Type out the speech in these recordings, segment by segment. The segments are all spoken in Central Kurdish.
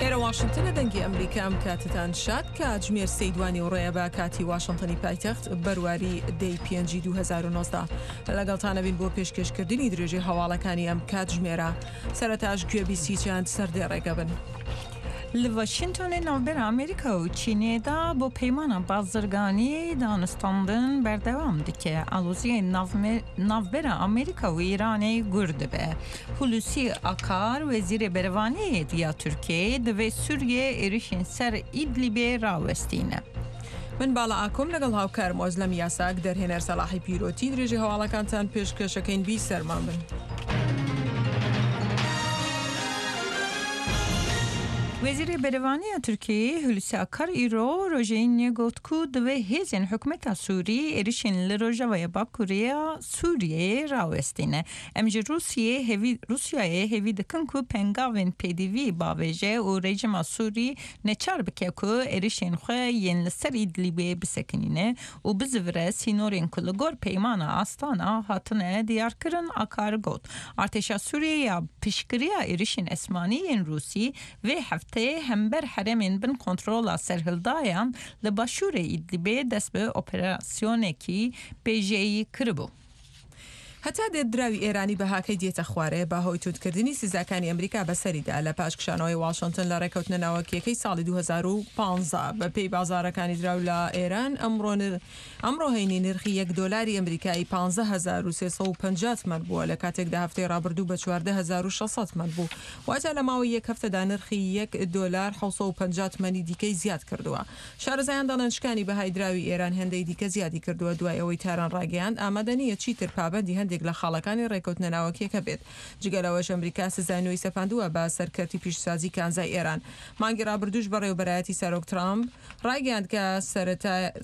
ئێرە واشنتنە دەنگی ئەمریکا ئەم کاتتان شاد کاتژمێر سێی دوانی وڕێیە بە کاتی واشنتنی پایتەخت بەرواری دەی پێنجی 2019 لەگەڵتانە بین بۆ پێشکێشکردنی درێژەی هەواڵەکانی ئەم کاتژمێرە سەرەتاش گوێبیستی چەند سەردێڕێکە بن. Li Washingtonê navbera Amerîka û Çînê de bo peymana bazirganiyê danûstandin berdewam dike. Aloziyên navbera Amerîka û Îranê gur dibe. Hulusî Akar, Wezîrê Berevaniyê ya Tirkiyeyê divê Sûriye êrişên ser Îdlîbê rawestîne. من باڵا ئاکۆم لەگەڵ هاوکارم ئۆزلەم یاساک دەرهێنەر سەڵاحی پیرۆتی درێژەی هەواڵەکانتان پێشکەشەکەین بیسەرمان بن. Wezîrê Berevaniya Tirkiyeyê Hulusi Akar îro rojê Înê got ku divê hêzên hikûmeta Sûrî êrişên li Rojavaya Bakurê ya Sûriyeyê rawestîne. Em ji Rûsyê hêvî Rûsyayê hêvî dikin ku pengavên pêdivî bavêje û rejîma Sûrî neçar bike ku êrişên xwe yên li ser Îdlîbê bisekinîne û bizivire sînorên ku li gor peymana Astana hatine diyarkirin, Akar got. Artêşa Sûriyê ya piştgiriya êrişên esmanî yên Rûsî vê hefteyê hember herêmên bin kontrola serhildayan li başûrê Îdlîbê dest bi operasyonekî bêjeyî kiribû. هەتا دێت دراوی ئێرانی بەهاکەی دێتە خوارێ بە هۆی توندکردنی سزاکانی ئەمریکا بەسەریدا لە پاش کشانەوەی واشنتن لە ڕێکەوتنە ناوەکییەکەی ساڵی 2015. بە پێی بازاڕەکانی دراو لە ئێران ئەمڕۆ ئەمڕۆ هەینی نرخی یەک دۆلاری ئەمریکایی 15350 تمەن بووە لە کاتێکدا هەفتەی ڕابردوو بە 14600 تمەن بوو واتە لە ماوەی یەک هەفتەدا نرخی یەک دۆلار 750 تمەنی دیکەی زیاد کردووە. شارەزایان دەڵێن شکانی بەهای دراوی ئێران هێندەی دیکە زیادی کردووە دوای ئەوەی تاران ڕایگەیاند ئامادە نییە چیتر پابەندی هەندێک لە خاڵەکانی ڕێککەوتنە ناوەکییەکە بێت. جگە لەوەش ئەمریکا سزای نوێی سەپاندووە بە سەر کەرتی پیشەسازی کانزای ئێران. مانگی ڕابردووش بەڕێوەبەرایەتی سەرۆک ترامپ ڕایگەیاند کە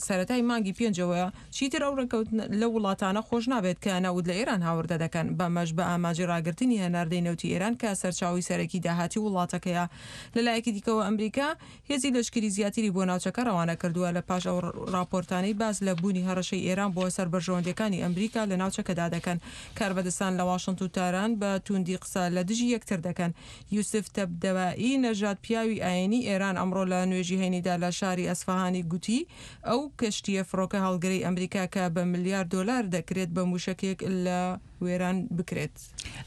سەرەتای مانگی پێنجەوە چیتر ئەو ڕێککەوتنە لەو وڵاتانە خۆش نابێت کە نەوت لە ئێران هاوردە دەکەن، بەمەش بە ئامانجی ڕاگرتنی هەناردەی نەوتی ئێران کە سەرچاوەی سەرەکی داهاتی وڵاتەکەیە. لەلایەکی دیکەوە ئەمریکا هێزی لەشکری زیاتری بۆ ناوچەکە ڕەوانە کردووە لە پاش ئەو ڕاپۆرتانەی باس لە بوونی هەڕەشەی ئێران بۆ سەر بەرژەوەندیەکانی ئەمریکا لە ناوچەکەدا دەکەن. کاربەدەستان لە واشنت و تاران بە تووندی قسە لە دژی یەکتر دەکەن. یوسف تەبدەبائی نەژاد پیاوی ئایینی ئێران ئەمڕۆ لە نوێژی هەینیدا لە شاری ئەسفەهانی گوتی ئەو کەشتییە فڕۆکە هەڵگرەی ئەمریکا کە بە ملیار دۆلار دەکرێت بە مووشەکێک لە وێران بکرێت.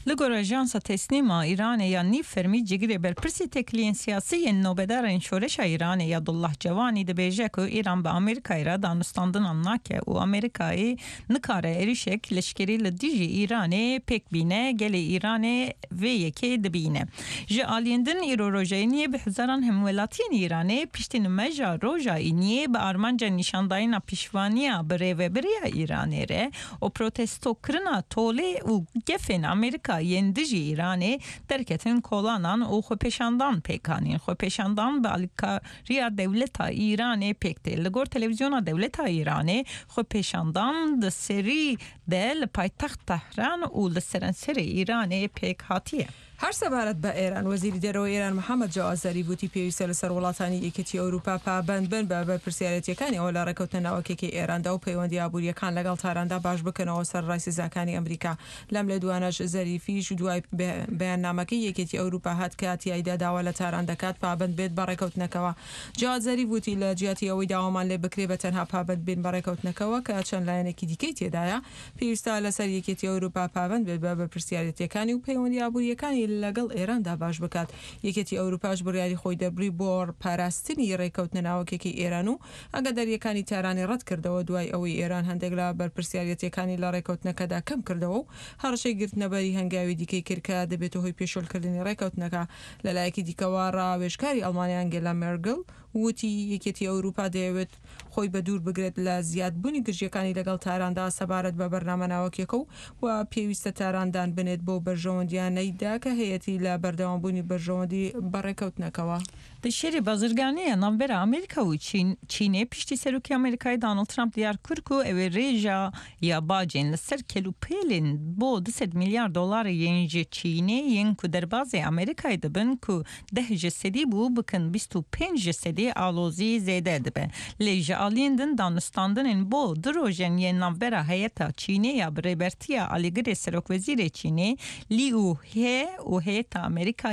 Li gor ajansa Tesnîm a Îranê ya nîv fermî cigirê berpirsê têkiliyên siyasî yên nobedarên şoreşa Îranê Yadullah Cewanî dibêje ku Îran bi Amerîkayê re danûstandinan nake û Amerîkayê nikare êrişek leşkerî li dijî Îranê pêk bîne, gelê Îranê vê yekê dibîne. Ji aliyên din îro roja Îniyê bi hezaran hemwelatiyên Îranê piştî nimeja roja Îniyê bi armanca nîşandayîna piştevaniya bi rêveberiya Îranê re û protestokirina tolê û gefên Amerîka yên dijî Îranê derketin kolanan û xwepêşandan pêk anîn. Xwepêşandan bi alîkariya dewleta Îranê pêk tê. Li gor televîzyona dewleta Îranê xwepêşandan di serî de li paytext Tehran û li serenserê Îranê pêk hatiye. هەر سەبارەت بە ئێران، وەزیری دەرەوەی ئێران محەمەد جەواد زەریف وتی، پێویستە لەسەر وڵاتانی یەکێتی ئەوروپا پابەند بن بە بەرپرسیارێتییەکانیەوە لە ڕێککەوتنە ناوەکیەکەی ئێراندا و پەیوەندییە ئابوورییەکان لەگەڵ تاراندا باش بکەنەوە سەرەڕای سزاکانی ئەمریکا. لەم لێدوانەش زەریفیش دوای بەیاننامەکەی یەکێتی ئەوروپا هات کە تیایدا داوا لە تاران دەکات پابەند بێت بە ڕێککەوتنەکەوە. جەواد زەریف وتی، لە جیاتی ئەوەی داوامان لێ بکرێ بە تەنها پابەند بین بە ڕێککەوتنەکەوە کە چەند لایەنێکی دیکەی تێدایە، پێویستە لەسەر یەکێتی ئەوروپا پابەند بێت بە بەرپرسیارێتیەکانی و پەیوەندی ئابورییەکانی لەگەڵ ئێراندا باش بکات. یەکێتی ئەوروپاش بڕیاری خۆی دەربڕی بۆ پاراستنی رێککەوتنە ناوەکیەکەی ئێران و ئاگادارییەکانی تارانی رەتکردەوە دوای ئەوەی ئێران هەندێک لە بەرپرسیارێتیەکانی لە رێککەوتنەکەدا کەمکردەوە و هەڕەشەی گرتنەبەری هەنگاوی دیکەی کرد کە دەبێتە هۆی پێشێلکردنی رێککەوتنەکە. لەلایەکی دیکەوە راوێژکاری ئەڵمانیا ئەنگێلا مێرگل وتی یەکێتی ئەوروپا دەیەوێت خۆی بەدوور بگرێت لە زیادبوونی گرژییەکانی لەگەڵ تاراندا سەبارەت بە بەرنامە ناوەکییەکە و و پێویستە تاران دان بنێت بەو بەرژەوەندییانەیدا کە هەیەتی لە بەردەوامبوونی بەرژەوەندی بە ڕێککەوتنەکەوە. Di şerê bazirganî navbera Amerîka û Çînê piştî Serokê Amerîkayê Donald Trump diyar kir ku ew ê rêja ya bacên li ser kelûpêlên bo 200 milyar dolarê yên ji Çînê yên ku derbazê Amerîkayê dibin ku deh ji sedî bû bikin 25 ji sedî alozî zêde dibe. Lê ji aliyên din danûstandinên bo du rojên yên navbera heyeta Çînê ya bi rêbertiya alîgirê Serokwezîrê Çînê Liu He û heyeta Amerîka ya.